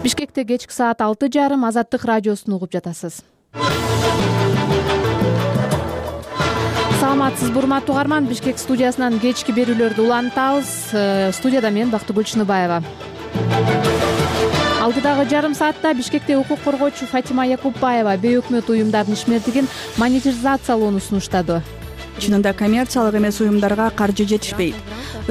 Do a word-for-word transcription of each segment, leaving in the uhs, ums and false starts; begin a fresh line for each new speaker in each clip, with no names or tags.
Бишкекте кечки саат алты жарым Азаттык радиосун угуп жатасыз. Саламатсызбы урматтуу угарман, Бишкек студиясынан кечки берүүлөрдү улантабыз. Студияда мен Бактыгүл Чыныбаева. Алтыдагы жарым саатта Бишкекте укук коргоочу Фатима Якупбаева бейөкмөт уюмдардын ишмердигин монетизациялоону сунуштады.
Чынында коммерциялык эмес уюмдарга каржы жетишпейт.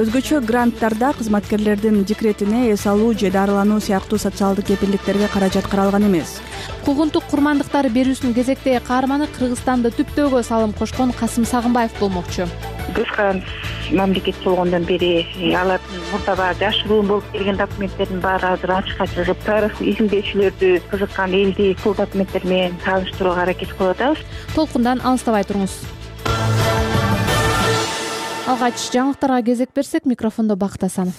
Өзгөчө гранттарда кызматкерлердин декретине эс алуу же дарылануу сыяктуу социалдык кепилдиктерге каражат каралган эмес.
Куугунтук курмандыктары берүүсүнүн кезектеги каарманы Кыргызстанда түптөөгө салым кошкон Касым Сагынбаев болмокчу.
Кыргызстан мамлекет болгондон бери алардын мурдабагы жашыруун болуп келген документтердин баары азыр ачыкка чыгып, тарых изилдөөчүлөрдү кызыккан элди бул документтер менен тааныштырууга аракет кылып атабыз.
Толкундан алыстабай туруңуз. Алгач жаңылыктарга кезек берсек, микрофондо Бакыт Асанов.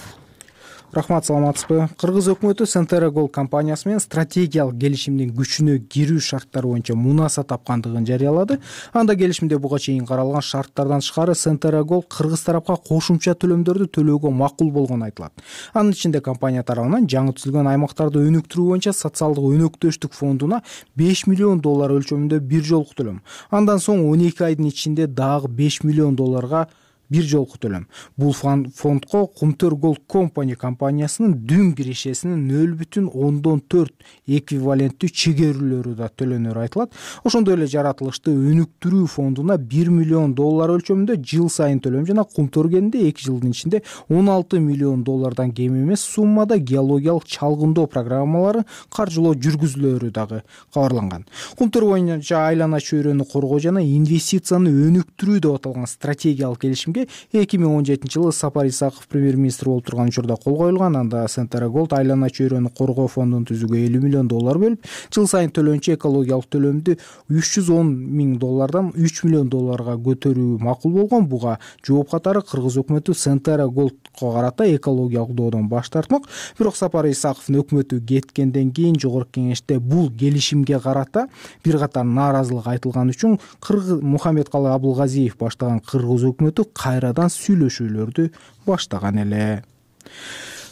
Рахмат, саламатсызбы. Кыргыз өкмөтү Centera Gold компаниясы менен стратегиялык келишимдин күчүнө кирүү шарттары боюнча мунаса тапкандыгын жарыялады. Анда келишимде буга чейин каралган шарттардан тышкары Centera Gold кыргыз тарапка кошумча төлөмдөрдү төлөөгө макул болгону айтылат. Анын ичинде компания тарабынан жаңы түзүлгөн аймактарды өнүктүрүү боюнча социалдык өнөктөштүк фондуна беш миллион доллар өлчөмүндө бир жолку төлөм. Андан соң он эки айдын ичинде дагы беш миллион долларга бир жолку төлөм. Бул фондко Кумтөр Gold Company компаниясынын дүн кирешесинин нөл бүтүн ондон төрт эквиваленттүү чегерүүлөрү да төлөнөрү айтылат. Ошондой эле жаратылышты өнүктүрүү фондуна бир миллион доллар өлчөмүндө жыл сайын төлөм жана Кумтөр кенинде эки жылдын ичинде он алты миллион доллардан кем эмес суммада геологиялык чалгындоо программалары каржылоо жүргүзүлөрү дагы кабарланган. Кумтөр боюнча айлана чөйрөнү коргоо жана инвестицияны өнүктүрүү деп аталган стратегиялык келишимге эки миң он жетинчи жылы Сапар Исаков премьер-министр болуп турган учурда кол коюлган. Анда Centera Gold айлана чөйрөнү коргоо фондун түзүүгө элүү миллион доллар бөлүп, жыл сайын төлөнчү экологиялык төлөмдү үч жүз он миң доллардан үч миллион долларга көтөрүү макул болгон. Буга жооп катары Кыргыз өкмөтү Centera Goldко карата экологиялык доодон баш тартмак. Бирок Сапар Исаковдун өкмөтү кеткенден кийин Жогорку Кеңеште бул келишимге карата бир катар нааразылык айтылган үчүн Кыргыз Мухаммедкалы Абылгазиев баштаган Кыргыз өкмөтү кайрадан сүйлөшүүлөрдү баштаган эле.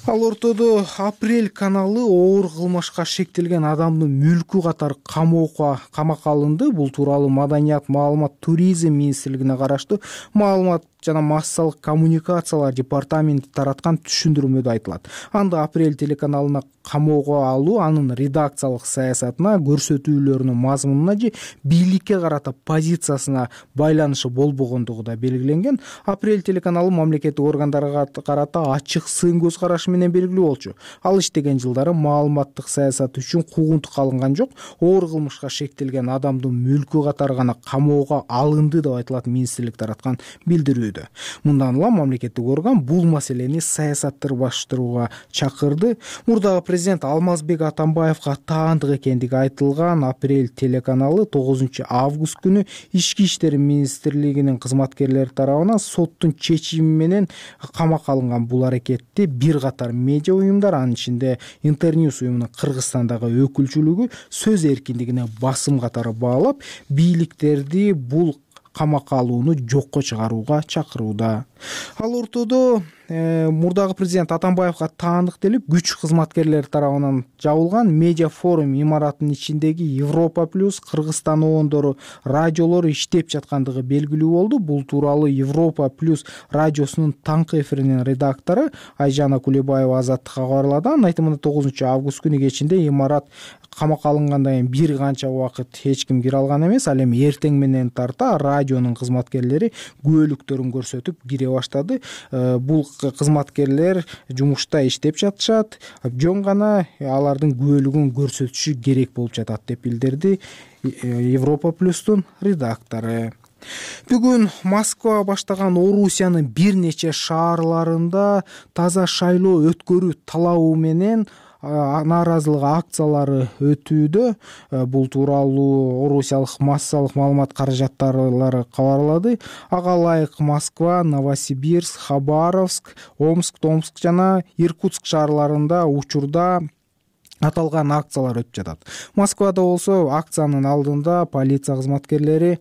Ал ортодо Апрель каналы оор кылмышка шектелген адамдын мүлкү катары камоого камакка алынды. Бул тууралуу Маданият, маалымат, туризм министрлигине караштуу маалымат жана массалык коммуникациялар департаменти тараткан түшүндүрмөдө айтылат. Анда Апрель телеканалына камоого алуу анын редакциялык саясатына, көрсөтүүлөрүнүн мазмунуна же бийликке карата позициясына байланышы болбогондугу да белгиленген. Апрель телеканалы мамлекеттик органдарга карата ачык сын көз карашы менен белгилүү болчу. Ал иштеген жылдары маалыматтык саясат үчүн куугунтук алынган жок. Оор кылмышка шектелген адамдын мүлкү катары гана камоого алынды деп айтылат министрлик тараткан билдирүү. Мындан улам мамлекеттик орган бул маселени саясаттырбаштырууга чакырды. Мурдагы президент Алмазбек Атамбаевга таандык экендиги айтылган Апрель телеканалы тогузунчу август күнү Ички иштер министрлигинин кызматкерлери тарабынан соттун чечими менен камакка алынган. Бул аракетти бир катар медиа уюмдар, анын ичинде Интерньюс уюмунун Кыргызстандагы өкүлчүлүгү сөз эркиндигине басым катары баалап, бийликтерди бул камакка алууну жокко чыгарууга чакырууда. Ал ортодо э, мурдагы президент Атамбаевга таандык делип күч кызматкерлери тарабынан жабылган медиа форум имаратынын ичиндеги Европа плюс Кыргызстаноондору радиолору иштеп жаткандыгы белгилүү болду. Бул тууралуу Европа плюс радиосунун таңкы эфиринин редактору Айжана Кулебаева Азаттыкка кабарлады. Анын айтымында тогузунчу август күнү кечинде имарат камакка алынгандан кийин бир канча убакыт эч ким кире алган эмес. Ал эми эртең менен тарта радионун кызматкерлери күбөлүктөрүн көрсөтүп кире баштады. Бул кызматкерлер жумушта иштеп жатышат, жөн гана алардын күбөлүгүн көрсөтүшү керек болуп жатат деп билдирди Европа плюстун редактору. Бүгүн Москва баштаган Орусиянын бир нече шаарларында таза шайлоо өткөрүү талабы менен нааразылык акциялары өтүүдө. Бул тууралуу орусиялык массалык маалымат каражаттарлары кабарлады. Ага ылайык Москва, Новосибирск, Хабаровск, Омск, Томск жана Иркутск шаарларында учурда аталган акциялар өтүп жатат. Москвада болсо акциянын алдында полиция кызматкерлери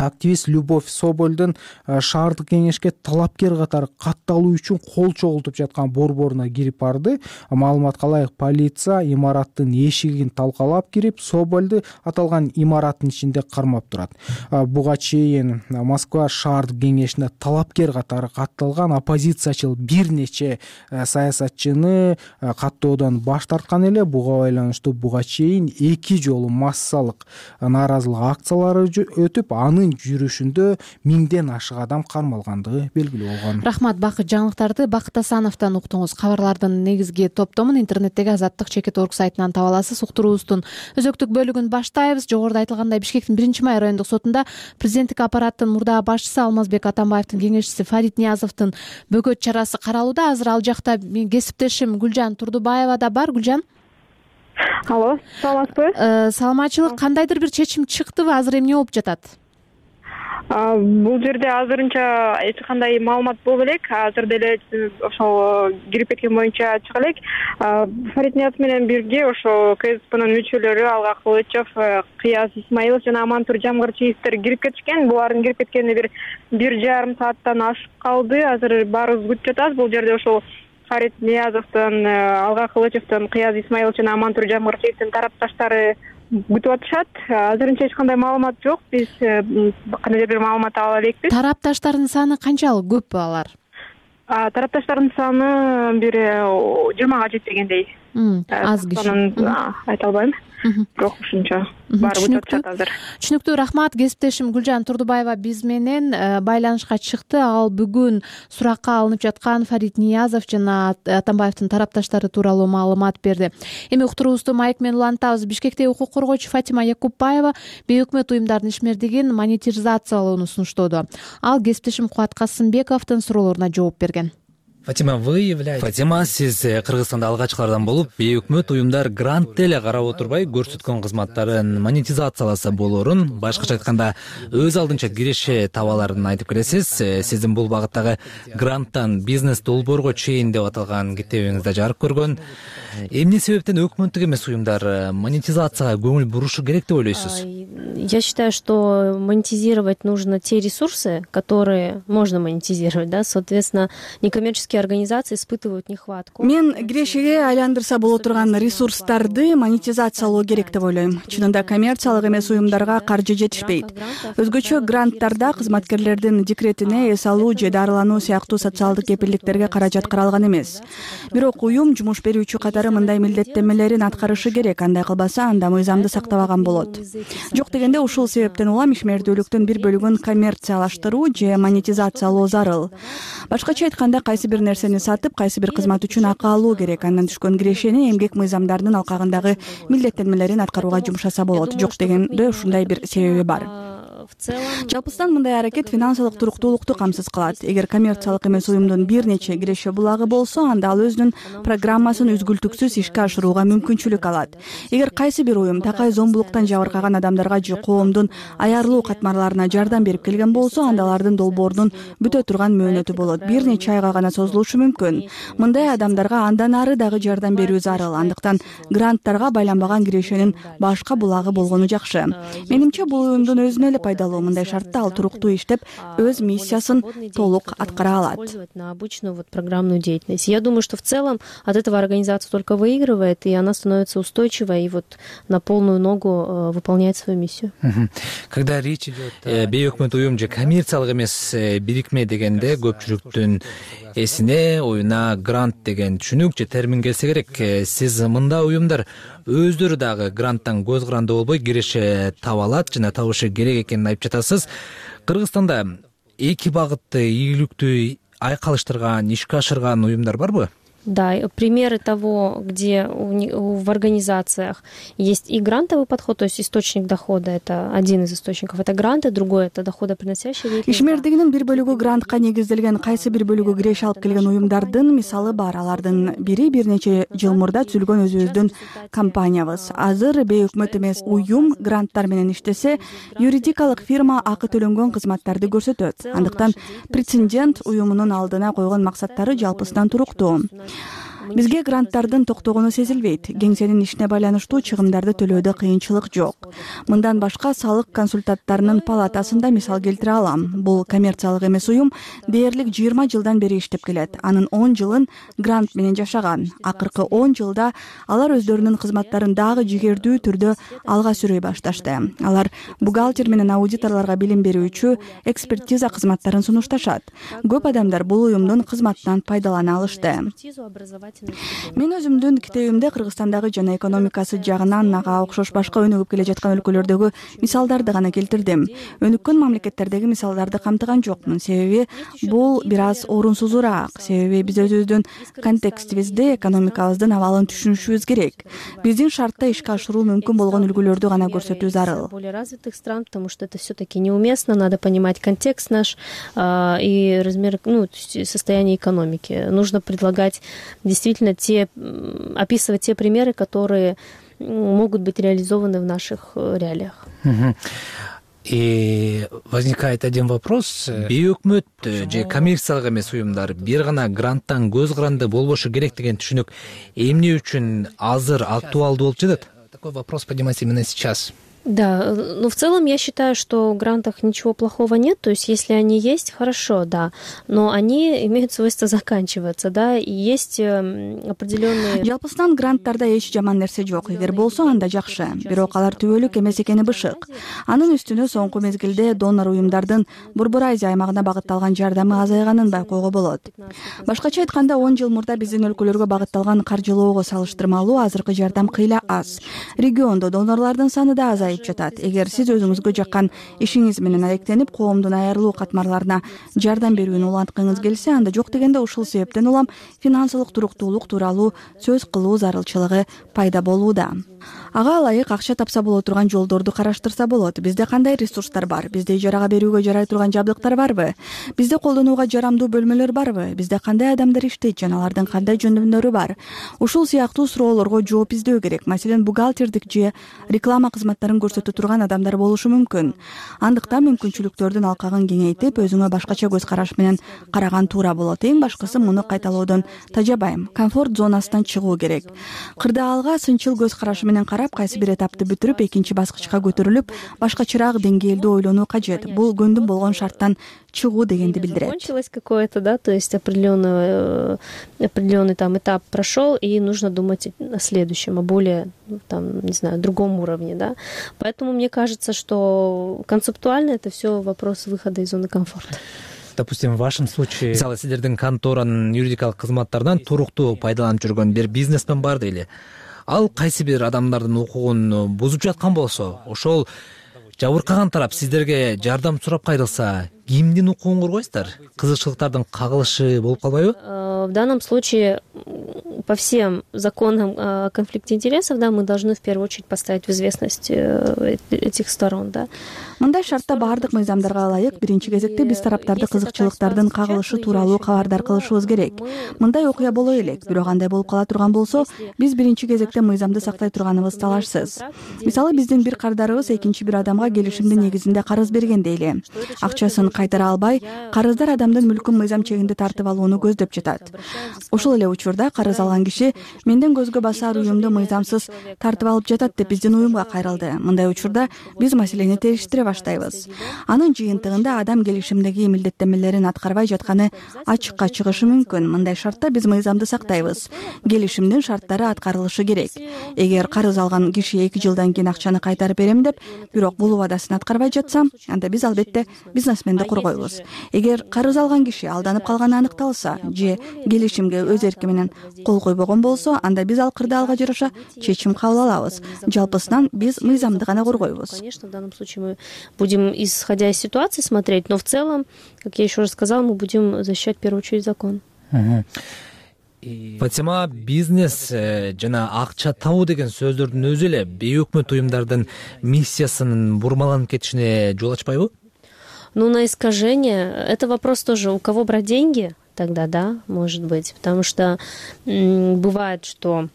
активист Любовь Собольдун шаардык кеңешке талапкер катары катталуу үчүн кол чогултуп жаткан борборуна кирип барды. Маалыматка ылайык, полиция имараттын эшигин талкалап кирип, Собольду аталган имараттын ичинде кармап турат. Буга чейин Москва шаардык кеңешине талапкер катары катталган оппозициячыл бир нече саясатчыны каттоодон баш тарткан эле. Буга байланыштуу буга чейин эки жолу массалык нааразылык акциялары өтүп, анын жүрүшүндө миңден ашык адам кармалгандыгы белгилүү болгон.
Рахмат. Бакыт жаңылыктарды Бакыт Асановдон уктуңуз. Кабарлардын негизги топтомун интернеттеги Азаттык чекит орг сайтынан таба аласыз. Уктуруубуздун өзөктүк бөлүгүн баштайбыз. Жогоруда айтылгандай, Бишкектин биринчи май райондук сотунда президенттик аппараттын мурдагы башчысы Алмазбек Атамбаевдин кеңешчиси Фарид Ниязовдун бөгөт чарасы каралууда. Азыр ал жакта менин кесиптешим Гүлжан Турдубаева да бар. Гүлжан.
Алло, саламатсызбы?
Саламатчылык. Кандайдыр бир чечим чыктыбы? Азыр эмне болуп жатат?
Бул жерде азырынча эч кандай маалымат болбой элек. Азыр деле ошол кирип кеткен боюнча чыга элек. Фарид Ниязов менен бирге ошо КСПнын мүчөлөрү Алга Кылычев, Кыяз Исмаилов жана Амантур Жамгырчиевдер кирип кетишкен. Булардын кирип кеткенине бир бир жарым сааттан ашып калды. Азыр баарыбыз күтүп жатабыз. Бул жерде ошол Фарид Ниязовдун, Алга Кылычевдин, Кыяз Исмаилов жана Амантур Жамгырчиевдин тарапташтары күтүп атышат. Азырынча эч кандай маалымат жок. Биз кандайдыр бир маалымат ала элекпиз.
Тарапташтардын саны канчалык? Көппү алар?
Тарапташтардын саны бир жыйырмага жетпегендей.
Аз киши.
Айта албайм. Бирок ушунча баары күтүп атышат азыр.
Түшүнүктүү. Рахмат. Кесиптешим Гүлжан Турдубаева биз менен байланышка чыкты. Ал бүгүн суракка алынып жаткан Фарид Ниязов жана Атамбаевдин тарапташтары тууралуу маалымат берди. Эми уктуруубузду майк менен улантабыз. Бишкекте укук коргоочу Фатима Якупбаева бейөкмөт уюмдардын ишмердигин монетизациялоону сунуштоодо. Ал кесиптешим Кубат Касымбековдун суроолоруна жооп берген.
Фатима, вы являетесь... Фатима, сиз Кыргызстанда алгачкылардан болуп, бейөкмөт уюмдар грант эле карап отурбай, көрсөткөн кызматтарын монетизацияласа болоорун, башкача айтканда, өз алдынча киреше табаларын айтып келесиз. Сиздин бул багыттагы гранттан бизнес долбоорго чейин деп аталган китебиңизде жарык көргөн. Эмне себептен өкмөттүк эмес уюмдар монетизацияга көңүл бурушу керек деп ойлойсуз?
Я считаю, что монетизировать нужно те ресурсы, которые можно монетизировать, да, соответственно, некоммерческие организации испытывают нехватку.
Мен кирешеге айландырса боло турган ресурстарды монетизациялоо керек деп ойлойм. Чынында коммерциялык эмес уюмдарга каржы жетишпейт. Өзгөчө гранттарда кызматкерлердин декретине, эс алуу же дарылануу сыяктуу социалдык кепилдиктерге каражат каралган эмес. Бирок уюм жумуш берүүчү катары мындай милдеттенмелерин аткарышы керек. Андай кылбаса, анда мыйзамды сактабаган болот. Жок дегенде ушул себептен улам ишмердүүлүктүн бир бөлүгүн коммерциялаштыруу же монетизациялоо зарыл. Башкача айтканда, кайсы бир нерсени сатып, кайсы бир кызмат үчүн акы алуу керек. Андан түшкөн кирешени эмгек мыйзамдарынын алкагындагы милдеттенмелерин аткарууга жумшаса болот. Жок дегенде ушундай бир себеби бар. Жалпысынан мындай аракет финансылык туруктуулукту камсыз кылат. Эгер коммерциялык эмес уюмдун бир нече киреше булагы болсо, анда ал өзүнүн программасын үзгүлтүксүз ишке ашырууга мүмкүнчүлүк алат. Эгер кайсы бир уюм такай зомбулуктан жабыркаган адамдарга же коомдун аярлуу катмарларына жардам берип келген болсо, анда алардын долбоорунун бүтө турган мөөнөтү болот. Бир нече айга гана созулушу мүмкүн. Мындай адамдарга андан ары дагы жардам берүү зарыл. Андыктан гранттарга байланбаган кирешенин башка булагы болгону жакшы. Менимче, бул уюмдун өзүнө эле пайдалуу. Мындай шартта ал туруктуу иштеп, өз миссиясын толук аткара алат.
На обычную вот программную деятельность. Я думаю, что в целом от этого организация только выигрывает, и она становится устойчивой и вот на полную ногу выполняет свою миссию.
Когда речь идет бейөкмөт уюм же коммерциялык эмес бирикме дегенде, көпчүлүктүн эсине оюна грант деген түшүнүк же термин келсе керек. Сиз мында уюмдар өздөрү дагы гранттан көз каранды болбой киреше таба алат жана табышы керек экенин айтып жатасыз. Кыргызстанда эки багытты ийгиликтүү айкалыштырган, ишке ашырган уюмдар барбы?
Да, примеры того, где в организациях есть и грантовый подход, то есть источник дохода, это один из источников, это гранты, другой это доходоприносящий деятельность.
Ишмердигинин бир бөлүгү грантка негизделген, кайсы бир бөлүгү киреше алып келген уюмдардын мисалы бар. Алардын бири бир нече жыл мурда түзүлгөн өзүбүздүн компаниябыз. Азыр бейөкмөт эмес уюм гранттар менен иштесе, юридикалык фирма акы төлөнгөн кызматтарды көрсөтөт. Андыктан претендент уюмунун алдына койгон максаттары жалпысынан туруктуу. бизге гранттардын токтогону сезилбейт. Кеңсенин ишине байланыштуу чыгымдарды төлөөдө кыйынчылык жок. Мындан башка салык консультанттарынын палатасында мисал келтире алам. Бул коммерциялык эмес уюм дээрлик жыйырма жылдан бери иштеп келет. Анын он жылын грант менен жашаган. Акыркы он жылда алар өздөрүнүн кызматтарын дагы жигердүү түрдө алга сүрөй башташты. Алар бухгалтер менен аудиторлорго билим берүүчү экспертиза кызматтарын сунушташат. Көп адамдар бул уюмдун кызматынан пайдалана алышты. Мен өзүмдүн китебимде Кыргызстандагы жана экономикасы жагынан ага окшош башка өнүгүп келе жаткан өлкөлөрдөгү мисалдарды гана келтирдим. Өнүккөн мамлекеттердеги мисалдарды камтыган жокмун, себеби бул бир аз орунсузураак. Себеби биз өзүбүздүн контекстибизди, экономикабыздын абалын түшүнүшүбүз керек. Биздин шартта ишке ашыруу мүмкүн болгон үлгүлөрдү гана көрсөтүү зарыл.
Более развитых стран, потому что это все-таки неуместно, надо понимать контекст наш э, и размер, ну, состояние экономики. Нужно предлагать действительно те, описывать те примеры, которые могут быть реализованы в наших реалиях.
И возникает один вопрос. Бейөкмөт же коммерциялык эмес уюмдар бир гана гранттан көз каранды болбошу керек деген түшүнүк эмне үчүн азыр актуалдуу болуп жатат? Такой вопрос поднимается именно сейчас.
Да, но в целом я считаю, что в грантах ничего плохого нет, то есть если они есть, хорошо, да, но они имеют свойство заканчиваться, да, и есть определенные...
Жалпысынан гранттарда эч жаман нерсе жок, эгер болсо анда жакшы, бирок алар түбөлүк эмес экени бышык. Анын үстүнө соңку мезгилде донор уюмдардын Борбор Азия аймагына багытталган жардамы азайганын байкоого болот. Башкача айтканда, он жыл мурда биздин өлкөлөргө багытталган каржылоого салыштырмалуу азыркы жардам кыйла аз. Региондо донорлордун саны да азайып жатат. Эгер сиз өзүңүзгө жаккан ишиңиз менен алектенип, коомдун айрылуу катмарларына жардам берүүнү уланткыңыз келсе, анда жок дегенде ушул себептен улам финансылык туруктуулук тууралуу сөз кылуу зарылчылыгы пайда болууда. Ага ылайык акча тапса боло турган жолдорду караштырса болот. Бизде кандай ресурстар бар? Бизде ижарага берүүгө жарай турган жабдыктар барбы? Бизде колдонууга жарамдуу бөлмөлөр барбы? Бизде кандай адамдар иштейт жана алардын кандай жөндөмдөрү бар? Ушул сыяктуу суроолорго жооп издөө керек. Маселен, бухгалтердик же реклама кызматтарын көрсөтө турган адамдар болушу мүмкүн. Андыктан мүмкүнчүлүктөрдүн алкагын кеңейтип, өзүңө башкача көз караш менен караган туура болот. Эң башкысы муну кайталоодон тажабайм. Комфорт зонасынан чыгуу керек. Кырдаалга сынчыл көз карашы менен карап, кайсы бир этапты бүтүрүп, экинчи баскычка көтөрүлүп, башкачараак деңгээлде ойлонуу кажет. Бул көндүм болгон шарттан чыгуу дегенди билдирет.
Закончилось какое-то, да, то есть определенный определенный там этап прошел, и нужно думать о следующем, о более, там, не знаю, другом уровне, да. Поэтому мне кажется, что концептуально это все вопрос выхода из зоны комфорта.
Допустим, в вашем случае, мисалы, сиздердин конторанын юридикалык кызматтарынан туруктуу пайдаланып жүргөн бир бизнесмен бар дейли. Ал кайсы бир адамдардын укугун бузуп жаткан болсо, ошол жабыркаган тарап сиздерге жардам сурап кайрылса, кимдин укугун коргойсуздар? Кызыкчылыктардын кагылышы болуп калбайбы?
В данном случае по всем законам о конфликте интересов, да, мы должны в первую очередь поставить в известность этих сторон, да.
Мындай шартта баардык мыйзамдарга ылайык биринчи кезекте биз тараптарды кызыкчылыктардын кагылышы тууралуу кабардар кылышыбыз керек. Мындай окуя боло элек, бирок андай болуп кала турган болсо, биз биринчи кезекте мыйзамды сактай турганыбыз талашсыз. Мисалы, биздин бир кардарыбыз экинчи бир адамга келишимдин негизинде карыз берген дейли. Акчасын кайтара албай, карыздар адамдын мүлкүн мыйзам чегинде тартып алууну көздөп жатат. Ошол эле учурда карыз алган киши менден көзгө басар уюмду мыйзамсыз тартып алып жатат деп биздин уюмга кайрылды. Мындай учурда биз маселени териштире баштайбыз. Анын жыйынтыгында адам келишимдеги милдеттенмелерин аткарбай жатканы ачыкка чыгышы мүмкүн. Мындай шартта биз мыйзамды сактайбыз. Келишимдин шарттары аткарылышы керек. Эгер карыз алган киши эки жылдан кийин акчаны кайтарып берем деп, бирок бул убадасын аткарбай жатса, анда биз албетте бизнесменди коргойбуз. Эгер карыз алган киши алданып калганы аныкталса же келишимге өз эрки менен кол койбогон болсо, анда биз ал кырдаалга жараша чечим кабыл алабыз. Жалпысынан биз мыйзамды гана коргойбуз.
Конечно, в данном случае мы будем, исходя из ситуации, смотреть, но в целом, как я еще раз сказала, мы будем защищать в первую очередь закон.
Фатима, бизнес жана акча табуу деген сөздөрдүн өзү эле бейөкмөт уюмдардын миссиясынын бурмаланып кетишине жол ачпайбы?
Ну, на искажение, это вопрос тоже, у кого брать деньги, тогда да, может быть, потому что м- бывает, что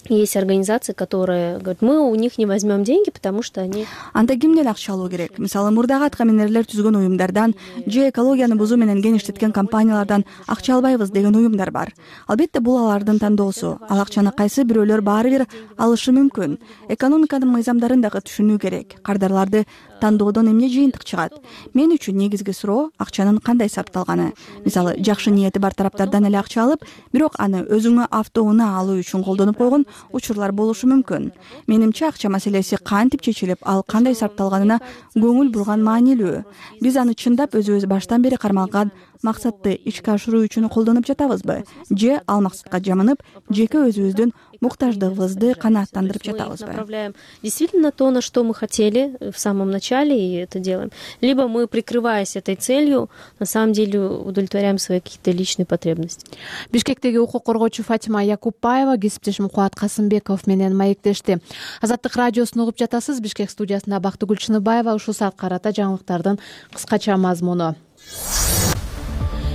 Есть организации, которые говорят, мы у них не возьмем деньги, потому что они...
Анда кимден акча алуу керек? Мисалы, мурдагы атка минерлер түзгөн уюмдардан же экологияны бузуу менен кеңиштеткен компаниялардан акча албайбыз деген уюмдар бар. Албетте бул алардын тандоосу. Ал акчаны кайсы бирөөлөр баары бир алышы мүмкүн. Экономиканын мыйзамдарын дагы түшүнүү керек. Кардарларды тандоодон эмне жыйынтык чыгат? Мен үчүн негизги суроо акчанын кандай сарпталганы. Мисалы, жакшы ниети бар тараптардан эле акча алып, бирок аны өзүңө автоунаа алуу үчүн колдонуп койгон учурлар болушу мүмкүн. Менимче акча маселеси кантип чечилип, ал кандай сарпталганына көңүл бурган маанилүү. Биз аны чындап өзүбүз баштан бери кармалган максатты ишке ашыруу үчүн колдонуп жатабызбы? Же ал максатка жамынып, жеке өзүбүздүн муктаждыгыбызды канааттандырып жатабызбы?
Направляем действительно то, на что мы хотели в самом начале, и это делаем. Либо мы, прикрываясь этой целью, на самом деле удовлетворяем свои какие-то личные потребности.
Бишкектеги укук коргоочу Фатима Якупбаева кесиптешим Кубат Касымбеков менен маектешти. Азаттык радиосун угуп жатасыз. Бишкек студиясында Бактыгүл Чыныбаева. Ушул саат карата жаңылыктардын кыскача мазмуну.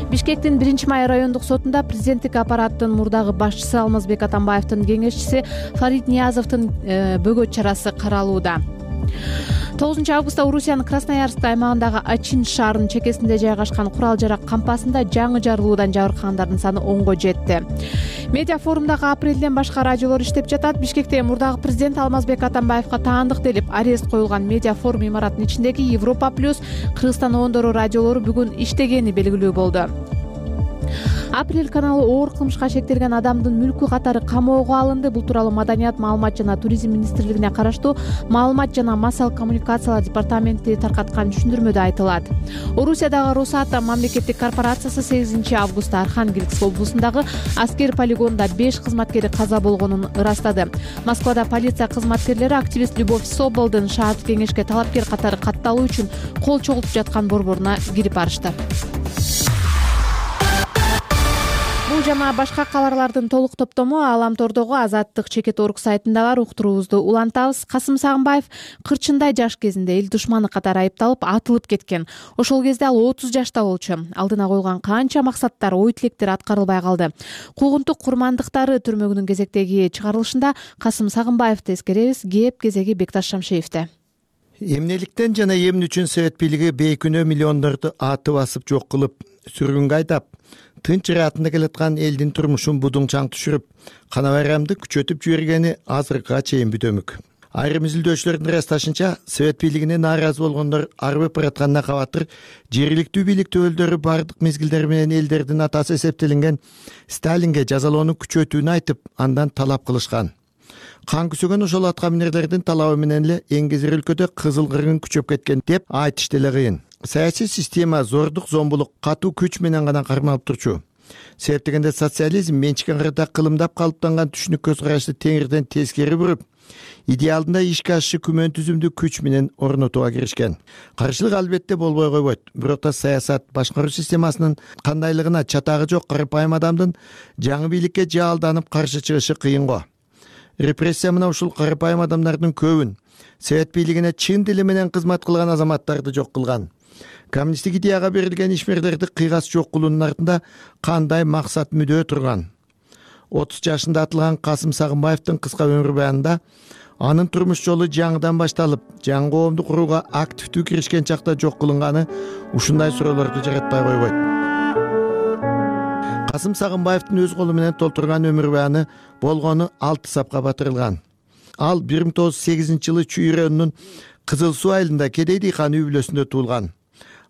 Бишкектин биринчи май райондук сотунда президенттик аппараттын мурдагы башчысы Алмазбек Атамбаевдин кеңешчиси Фарид Ниязовдун бөгөт чарасы каралууда. тогузунчу августта Орусиянын Красноярск аймагындагы Ачин шаарынын чекесинде жайгашкан курал-жарак кампасында жаңы жарылуудан жабыркагандардын саны онго жетти. Медиа форумдагы апрелден башка радиолор иштеп жатат. Бишкекте мурдагы президент Алмазбек Атамбаевга таандык делип арест коюлган медиа форум имараттын ичиндеги Европа плюс Кыргызстан оондору радиолору бүгүн иштегени белгилүү болду. Апрель каналы оор кылмышка шектелген адамдын мүлкү катары камоого алынды. Бул тууралуу Маданият, маалымат жана туризм министрлигине караштуу маалымат жана массалык коммуникациялар департаменти таркаткан түшүндүрмөдө айтылат. Орусиядагы Росата мамлекеттик корпорациясы сегизинчи августта Архангельск облусундагы аскер полигонунда беш кызматкери каза болгонун ырастады. Москвада полиция кызматкерлери активист Любовь Соболдун шаардык кеңешке талапкер катары катталуу үчүн кол чогултуп жаткан борборуна кирип барышты. Бул жана башка кабарлардын толук топтому Аламтордогу Азаттык чекит орг сайтында бар. Уктуруубузду улантабыз. Касым Сагынбаев кырчындай жаш кезинде эл душманы катары айыпталып атылып кеткен. Ошол кезде ал отуз жашта болчу. Алдына коюлган канча максаттар, ой тилектер аткарылбай калды. Куугунтук курмандыктары түрмөгүнүн кезектеги чыгарылышында Касым Сагынбаевди эскеребиз. Кеп кезеги Бекташ Шамшеевде.
Эмнеликтен жана эмне үчүн Совет бийлиги бейкүнөө миллиондорду атып басып жок кылып, сүргүнгө айдап, тынч ыраатында келаткан элдин турмушун будуңчаң түшүрүп, кана байрамды күчөтүп жибергени азыркыга чейин бүтөмүк. Айрым изилдөөчүлөрдүн ырасташынча, Совет бийлигине нааразы болгондор арбып баратканына кабатыр жергиликтүү бийлик төбөлдөрү бардык мезгилдер менен элдердин атасы эсептелинген Сталинге жазалоону күчөтүүнү айтып, андан талап кылышкан. Кан күсөгөн ошол атка минерлердин талабы менен эле эңгезер өлкөдө кызыл кыргын күчөп кеткен деп айтыш деле кыйын. Саясий система зордук, зомбулук, катуу күч менен гана кармалып турчу. Себеп дегенде социализм менчикен кырда кылымдап калыптанган түшүнүк көз карашты теңирден тескери буруп, идеалында ишке ашышы күмөн түзүмдү күч менен орнотууга киришкен. Каршылык албетте болбой койбойт. Бирок та саясат башкаруу системасынын кандайлыгына чатагы жок карапайым адамдын жаңы бийликке жаалданып каршы чыгышы кыйын го. Репрессия мына ушул карапайым адамдардын көбүн, Совет бийлигине чын дили менен кызмат кылган азаматтарды жок кылган. Коммунисттик идеяга берилген ишмерлерди кыйгас жок кылуунун артында кандай максат мүдөө турган? отуз жашында атылган Касым Сагынбаевдин кыска өмүр баянында анын турмуш жолу жаңыдан башталып, жаңы коомду курууга активдүү киришкен чакта жок кылынганы ушундай суроолорду жаратпай койбойт. Касым Сагынбаевдин өз колу менен толтурган өмүр баяны болгону алты сапка батырылган. Ал бир миң тогуз жүз сегизинчи жылы Чүй районунун Кызыл Суу айылында Кедей дыйкан үй бүлөсүндө туулган.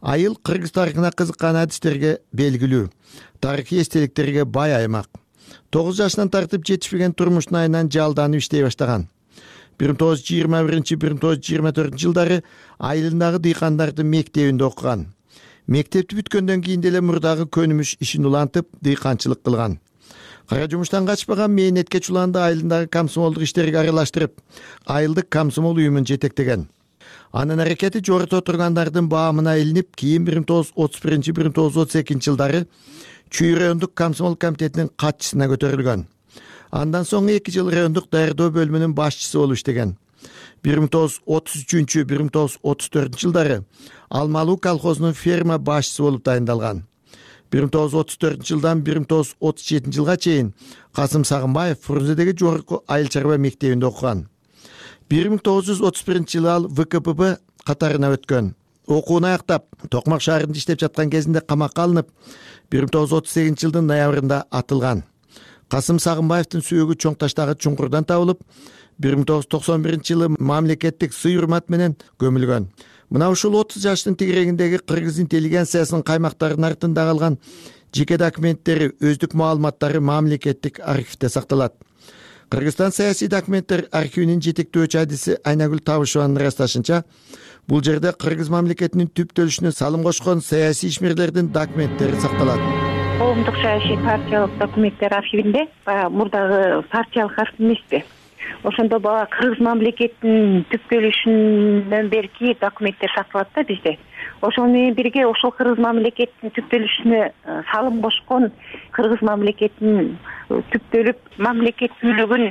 Айыл кыргыз тарыхына кызыккан адистерге белгилүү, тарыхый эстеликтерге бай аймак. тогуз жашынан тартып жетишпеген турмуштун айынан жалданып иштей баштаган. бир миң тогуз жүз жыйырма биринчи — бир миң тогуз жүз жыйырма төртүнчү жылдары айылындагы дыйкандардын мектебинде окуган. Мектепти бүткөндөн кийин деле мурдагы көнүмүш ишин улантып, дыйканчылык кылган. Кара жумуштан качпаган мээнетке чуланды айылындагы комсомолдук иштерге аралаштырып, айылдык комсомол уюмун жетектеген. Анын аракети жорото тургандардын баамына илинип, кийин бир миң тогуз жүз отуз биринчи — бир миң тогуз жүз отуз экинчи жылдары Чүй райондук комсомол комитетинин катчысына көтөрүлгөн. Андан соң эки жыл райондук даярдоо бөлүмүнүн башчысы болуп иштеген. бир миң тогуз жүз отуз үчүнчү — бир миң тогуз жүз отуз төртүнчү жылдары Алмалуу колхозунун ферма башчысы болуп дайындалган. бир миң тогуз жүз отуз төртүнчү жылдан бир миң тогуз жүз отуз жетинчи жылга чейин Касым Сагынбаев Фрунзедеги жогорку айыл чарба мектебинде окуган. бир миң тогуз жүз отуз биринчи жылы ал вэ ка пэ бэ катарына өткөн. Окуун аяктап Токмак шаарында иштеп жаткан кезинде камакка алынып, бир миң тогуз жүз отуз сегизинчи жылдын ноябрында атылган. Касым Сагынбаевдин сүйөгү Чоң Таштагы чуңкурдан табылып, бир миң тогуз жүз токсон биринчи жылы мамлекеттик сый-урмат менен көмүлгөн. Мына ушул отуз жаштын тегерегиндеги кыргыз интеллигенциясынын каймактарынын артында калган жеке документтери, өздүк маалыматтары мамлекеттик архивде сакталат. Кыргызстан саясий документтер архивинин жетектөөчү адиси Айнагүл Табышеванын ырасташынча, бул жерде кыргыз мамлекетинин түптөлүшүнө салым кошкон саясий ишмерлердин документтери сакталат.
Коомдук саясий партиялык документтер архивинде баягы мурдагы партиялык архив эмеспи? Ошондо баягы кыргыз мамлекетинин түптөлүшүнөн берки документтер сакталат да бизде. Ошол менен бирге ошол кыргыз мамлекетинин түптөлүшүнө салым кошкон, кыргыз мамлекетинин түптөлүп мамлекеттүүлүгүн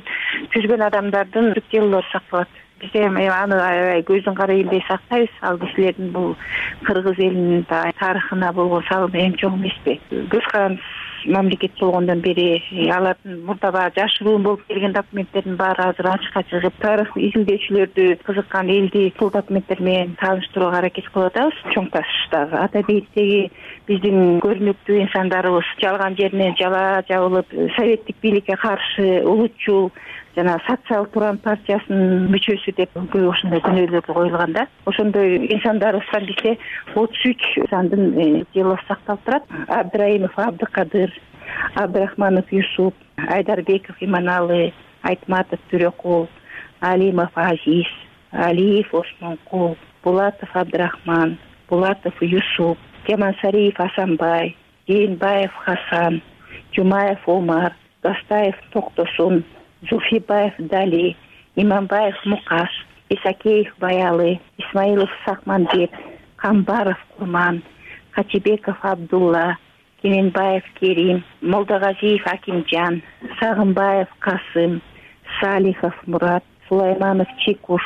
түзгөн адамдардын делолору сакталат. Бизде аны аябай көздүн кара элдей сактайбыз. Ал кишилердин бул кыргыз элинин тарыхына болгон салымы эң чоң эмеспи? Көз карандысыз мамлекет болгондон бери алардын мурда баягы жашыруун болуп келген документтердин баары азыр ачыкка чыгып, тарых изилдөөчүлөрдү кызыккан элди бул документтер менен тааныштырууга аракет кылып атабыз. Чоң Таштагы ата бейиттеги биздин көрүнүктүү инсандарыбыз жалган жеринен жала жабылып, советтик бийликке каршы улутчул жана социал туран партиясынын мүчөсү деп көп ошондой күнөөлөр коюлган да. Ошондой инсандарыбыздан бизде отуз үч сандын делосы сакталып турат. Абдраимов Абдыкадыр, Абдрахманов Юсуп, Айдарбеков Иманалы, Айтматов Түрөкул, Алимов Азиз, Алиев Осмонкул, Булатов Абдрахман, Булатов Юсуп, Кемансариев Асанбай, Жээнбаев Хасан, Жумаев Омар, Гастаев Токтосун, Зулфибаев Дали, Иманбаев Мукаш, Исакеев Баялы, Исмаилов Сакманбек, Камбаров Курман, Качибеков Абдулла, Кеменбаев Керим, Молдагазиев Акимжан, Сагынбаев Касым, Салихов Мурат, Сулайманов Чекуш,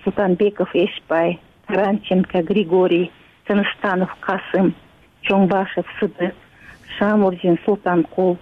Султанбеков Эшбай, Таранченко Григорий, Тыныстанов Касым, Чоңбашев Сыдык, Шамурзин Султанкул,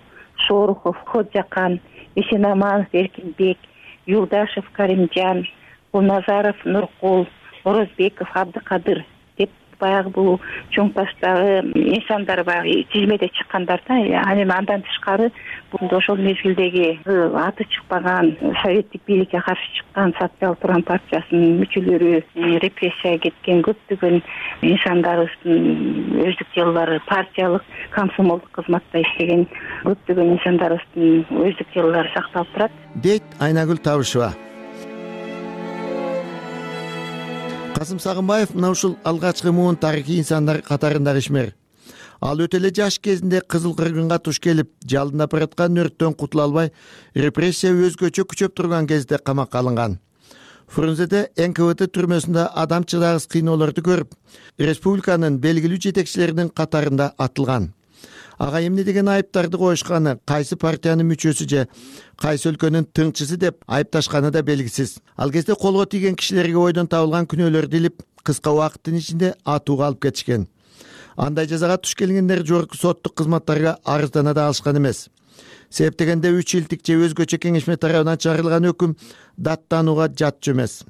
Шорухов Ходжакан, Исенаманов Эркинбек, Юлдашев Каримжан, Кулназаров Нуркул, Орозбеков Абдыкадыр деп баягы бул Чоң Таштагы инсандар баягы тизмеде чыккандар да. Анан андан тышкары бул ошол мезгилдеги аты чыкпаган советтик бийликке каршы чыккан социал туран партиясынын мүчөлөрү, репрессияга кеткен көптөгөн инсандарыбыздын өздүк делолору, партиялык комсомолдук кызматта иштеген көптөгөн инсандарыбыздын өздүк делолору сакталып турат,
дейт Айнагүл Табышева. Касым Сагынбаев мына ушул алгачкы муун тарыхый инсандар катарындагы ишмер. Ал өтө эле жаш кезинде Кызыл Кыргынга туш келип, жалындап бараткан өрттөн кутула албай, репрессия өзгөчө күчөп турган кезде камакка алынган. Фрунзеде эн ка вэ тэ түрмөсүндө адам чыдагыс кыйноолорду көрүп, республиканын белгилүү жетекчилеринин катарында атылган. Ага эмне деген айыптарды коюшканы, кайсы партиянын мүчөсү же кайсы өлкөнүн тыңчысы деп айыпташканы да белгисиз. Ал кезде колго тийген кишилерге ойдон табылган күнөөлөрдү илип, кыска убакыттын ичинде атууга алып кетишкен. Андай жазага туш келгендер жогорку соттук кызматтарга арыздана да алышкан эмес. Себеп дегенде үч жылдык же өзгөчө кеңешме тарабынан чыгарылган өкүм даттанууга жатчу эмес.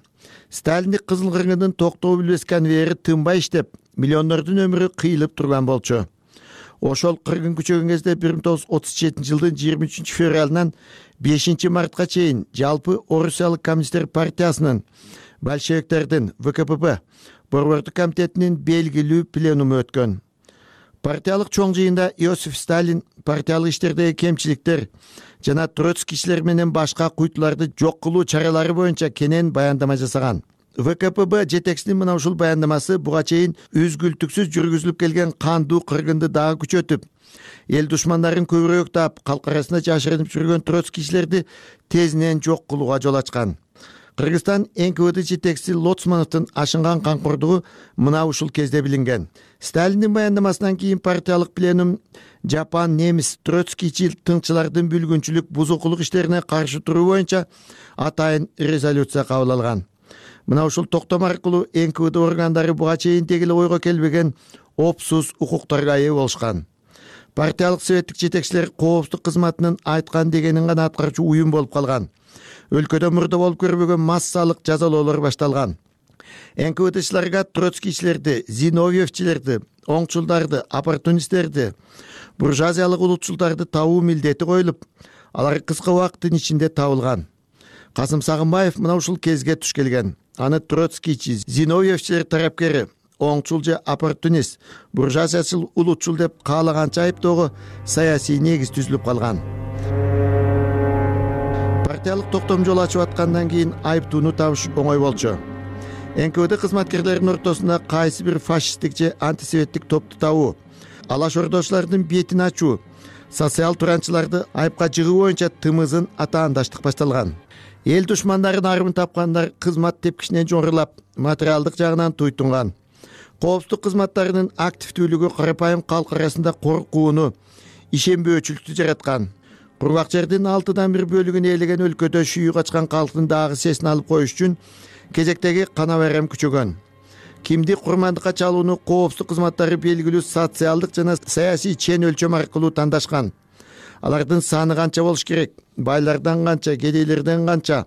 Сталиндик Кызыл Кыргындын токтоо билбес конвейери тынбай иштеп, миллиондордун өмүрү кыйылып турган болчу. Ошол кыргын күчөгөн кезде бир миң тогуз жүз отуз жетинчи жылдын жыйырма үчүнчү февралынан бешинчи мартка чейин жалпы Орусиялык коммунисттер партиясынын, большевиктердин, вэ ка пэ бэ борбордук комитетинин белгилүү пленуму өткөн. Партиялык чоң жыйында Иосиф Сталин партиялык иштердеги кемчиликтер жана троцкийчилер менен башка куйтуларды жок кылуу чаралары боюнча кенен баяндама жасаган. вэ ка пэ бэ жетекчисинин мына ушул баяндамасы буга чейин үзгүлтүксүз жүргүзүлүп келген кандуу кыргынды дагы күчөтүп, эл душмандарын көбүрөөк таап, калк арасында жашырынып жүргөн троцкийчилерди тезинен жок кылууга жол ачкан. Кыргызстан эн ка вэ тэ жетекчиси Лоцмановдун ашынган камкордугу мына ушул кезде билинген. Сталиндин баяндамасынан кийин партиялык пленум жапан, немис, троцкийчил тыңчылардын бүлгүнчүлүк, бузукулук иштерине каршы туруу боюнча атайын резолюция кабыл алган. Мына ушул токтом аркылуу эн ка вэ тэ органдары буга чейин дегеле ойго келбеген опсуз укуктарга ээ болушкан. партиялык советтик жетекчилер коопсуздук кызматынын айткан дегенин гана аткаруучу уюм болуп калган. Өлкөдө мурда болуп көрбөгөн массалык жазалоолор башталган. эн ка вэ дчилерге троцкийчилерди, зиновьевчилерди, оңчулдарды, оппортунисттерди, буржуазиялык улутчулдарды табуу милдети коюлуп, алар кыска убакыттын ичинде табылган. Касым Сагынбаев мына ушул кезге туш келген. Аны троцкийчи, зиновьевчилер тарапкери, оңчул же оппортунист, буржуазиячыл улутчул деп каалаганча айыптоого саясий негиз түзүлүп калган. Партиялык токтом жол ачып аткандан кийин айыптууну табыш оңой болчу. эн ка вэ кызматкерлеринин ортосунда кайсы бир фашисттик же антисоветтик топту табуу, алаш ордочулардын бетин ачуу, социал туранчыларды айыпка жыгуу боюнча тымызын атаандаштык башталган. Эл душмандарын арымын тапкандар кызмат тепкичинен жоңурлап, материалдык жагынан туйтунган. Коопсуздук кызматтарынын активдүүлүгү карапайым калк арасында коркууну, ишенбөөчүлүктү жараткан. Кургак жердин алтыдан бир бөлүгүн ээлеген өлкөдө шүйүү качкан калктын дагы сесин алып коюш үчүн кезектеги кана байрам күчөгөн. Кимди курмандыкка чалууну коопсуздук кызматтары белгилүү социалдык жана саясий чен өлчөм аркылуу тандашкан. Алардын саны канча болуш керек, байлардан канча, кедейлерден канча,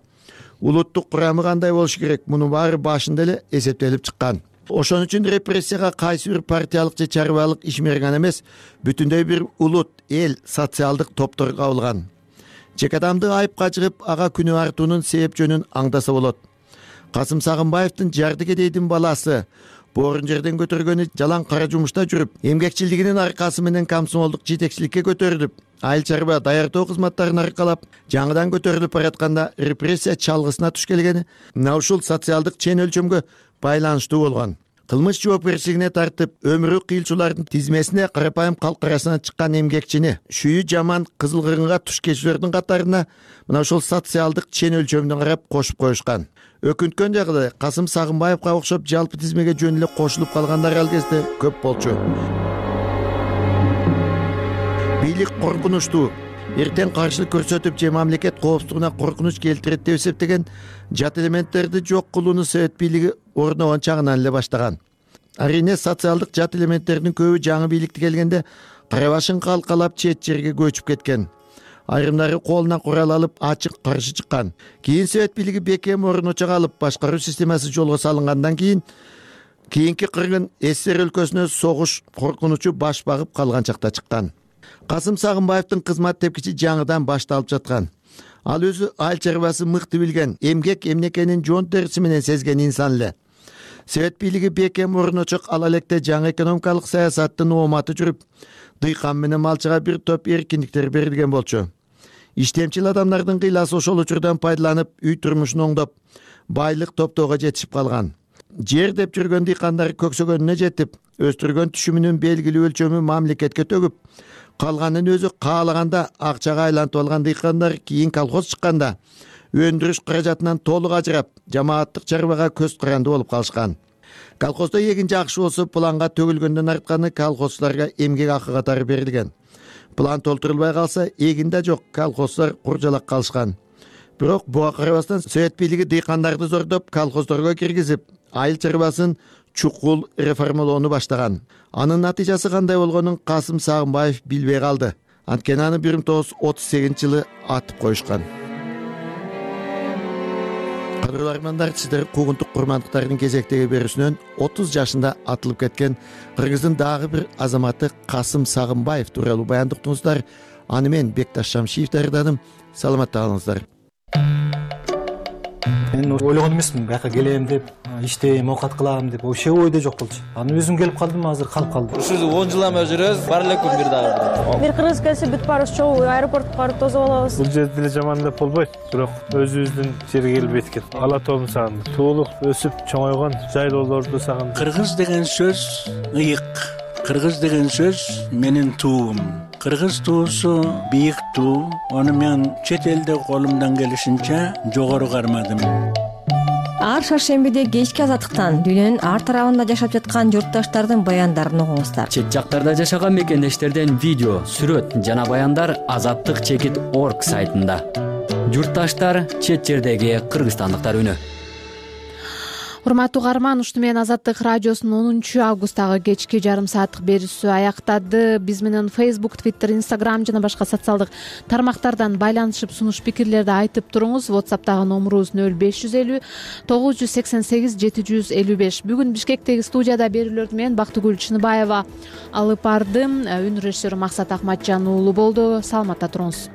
улуттук курамы кандай болуш керек, мунун баары башында эле эсептелип чыккан. Ошон үчүн репрессияга кайсы бир партиялык же чарбалык ишмер гана эмес, бүтүндөй бир улут, эл, социалдык топтор кабылган. Чек адамды айыпка жыгып, ага күнөө артуунун себеп жөнүн аңдаса болот. Касым Сагынбаевдин жарды кедейдин баласы боорун жерден көтөргөнү жалаң кара жумушта жүрүп, эмгекчилигинин аркасы менен комсомолдук жетекчиликке көтөрүлүп, айыл чарба даярдоо кызматтарын аркалап, жаңыдан көтөрүлүп баратканда репрессия чалгысына туш келгени мына ушул социалдык чен өлчөмгө байланыштуу болгон. Кылмыш жоопкерчилигине тартып, өмүрү кыйылчулардын тизмесине карапайым калк арасынан чыккан эмгекчини, шүйү жаман кызыл кыргынга туш кечүүлөрдүн катарына мына ушул социалдык чен өлчөмдөн карап кошуп коюшкан. Өкүнткөн жагы Касым Сагынбаевга окшоп жалпы тизмеге жөн эле кошулуп калгандар ал кезде көп болчу. Бийлик коркунучтуу, эртең каршылык көрсөтүп же мамлекет коопсуздугуна коркунуч келтирет деп эсептеген жат элементтерди жок кылууну совет бийлиги орногон чагынан эле баштаган. Арине социалдык жат элементтердин көбү жаңы бийликти келгенде кара башын калкалап чет жерге көчүп кеткен. Айрымдары колуна курал алып ачык каршы чыккан. Кийин совет бийлиги бекем орночого алып, башкаруу системасы жолго салынгандан кийин кийинки кыргын СССР өлкөсүнө согуш коркунучу баш багып калган чакта чыккан. Касым Сагынбаевдин кызмат тепкичи жаңыдан башталып жаткан. Ал өзү айыл чарбасы мыкты билген, эмгек эмнекенин жон териси менен сезген инсан эле. Совет бийлиги бекем орночок ала электе жаңы экономикалык саясаттын ооматы жүрүп, дыйкан менен малчыга бир топ эркиндиктер берилген болчу. Иштемчил адамдардын кыйласы ошол учурдан пайдаланып, үй турмушун оңдоп, байлык топтоого жетишип калган. Жер деп жүргөн дыйкандар көксөгөнүнө жетип, өстүргөн түшүмүнүн белгилүү өлчөмү мамлекетке төгүп, калганын өзү каалаганда акчага айлантып алган дыйкандар кийин колхоз чыкканда өндүрүш каражатынан толук ажырап, жамааттык чарбага көз каранды болуп калышкан. Колхоздо эгин жакшы болсо планга төгүлгөндөн артканы колхозчуларга эмгек акы катары берилген. План толтурулбай калса, эгин да жок, колхозчулар куржалак калышкан. Бирок буга карабастан совет бийлиги дыйкандарды зордоп, колхоздорго киргизип, айыл чарбасын чукул реформалоону баштаган. Анын натыйжасы кандай болгонун Касым Сагынбаев билбей калды. Анткени аны бир миң тогуз жүз отуз сегизинчи жылы атып коюшкан. Кадырлуу армандар, сиздер куугунтук курмандыктардын кезектеги берүүсүнөн отуз жашында атылып кеткен Кыргыздын дагы бир азаматы Касым Сагынбаев тууралуу баяндыктыңыздар. Аны мен Бекташ Шамшиев даярдадым. Саламатта калыңыздар.
Мен ойлогон эмесмин, бияка келем деп, иштейм, оокат кылам деп, вообще ойдо жок болчу. Аны өзүм келип калдым, азыр калып калдым.
Ушул он жыл эме жүрөбүз, бар эле күн бир дагы.
Бир кыргыз келсе бүт баарыбыз чогуу аэропортко барып тосуп алабыз.
Бул жерде деле жаман деп болбойт, бирок өзүбүздүн жерге келип эткен. Ала тоомду сагындым. Туулуп, өсүп, чоңойгон жайлоолорду сагындым.
Кыргыз деген сөз ыйык. Кыргыз деген сөз менин туум. Кыргыз туусу бийик туу. Аны мен чет элде колумдан келишинче жогору кармадым.
Ар шаршембиде кечки азаттыктан дүйнөнүн ар тарабында жашап жаткан журтташтардын баяндарын угуңуздар.
Чет жактарда жашаган мекендештерден видео, сүрөт жана баяндар азаттык чекит орг сайтында. Журтташтар, чет жердеги кыргызстандыктар үнү.
урматтуу угарман, ушуну менен Азаттык радиосунун онунчу августтагы кечки жарым сааттык берүүсү аяктады. Биз менен Facebook, Twitter, Instagram жана башка социалдык тармактардан байланышып сунуш пикирлерди айтып туруңуз. WhatsApp'тагы номурубуз нөл беш жүз элүү тогуз жүз сексен сегиз жети жүз элүү беш. Бүгүн Бишкектеги студияда берүүлөрдү мен Бактыгүл Чыныбаева алып бардым. Үн режиссеру Максат Акматжан уулу болду. Саламатта туруңуз.